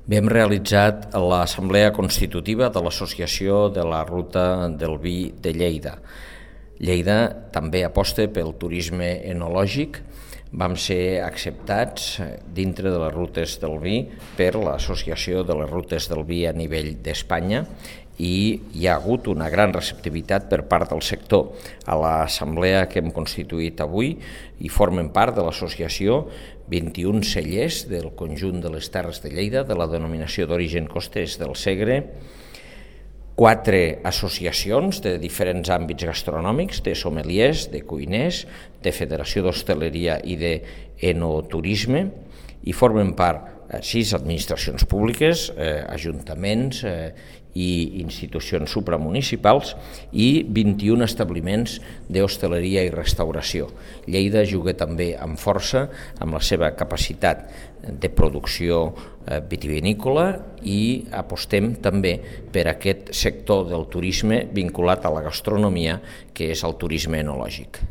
Hem realitzat l'assemblea constitutiva de l'Associació de la Ruta del Vi de Lleida. Lleida també aposta pel turisme enològic. Vam ser acceptats dintre de les rutes del vi per l'Associació de les Rutes del Vi a nivell d'Espanya i hi ha hagut una gran receptivitat per part del sector. A l'assemblea que hem constituït avui hi formen part de l'associació 21 cellers del conjunt de les Terres de Lleida, de la denominació d'origen costers del Segre, 4 associacions de diferents àmbits gastronòmics, de sommeliers, de cuiners, de Federació d'Hostaleria i d'Enoturisme, i formen part 6 administracions públiques, ajuntaments i institucions supramunicipals i 21 establiments d'hostaleria i restauració. Lleida juga també amb força amb la seva capacitat de producció vitivinícola i apostem també per aquest sector del turisme vinculat a la gastronomia, que és el turisme enològic.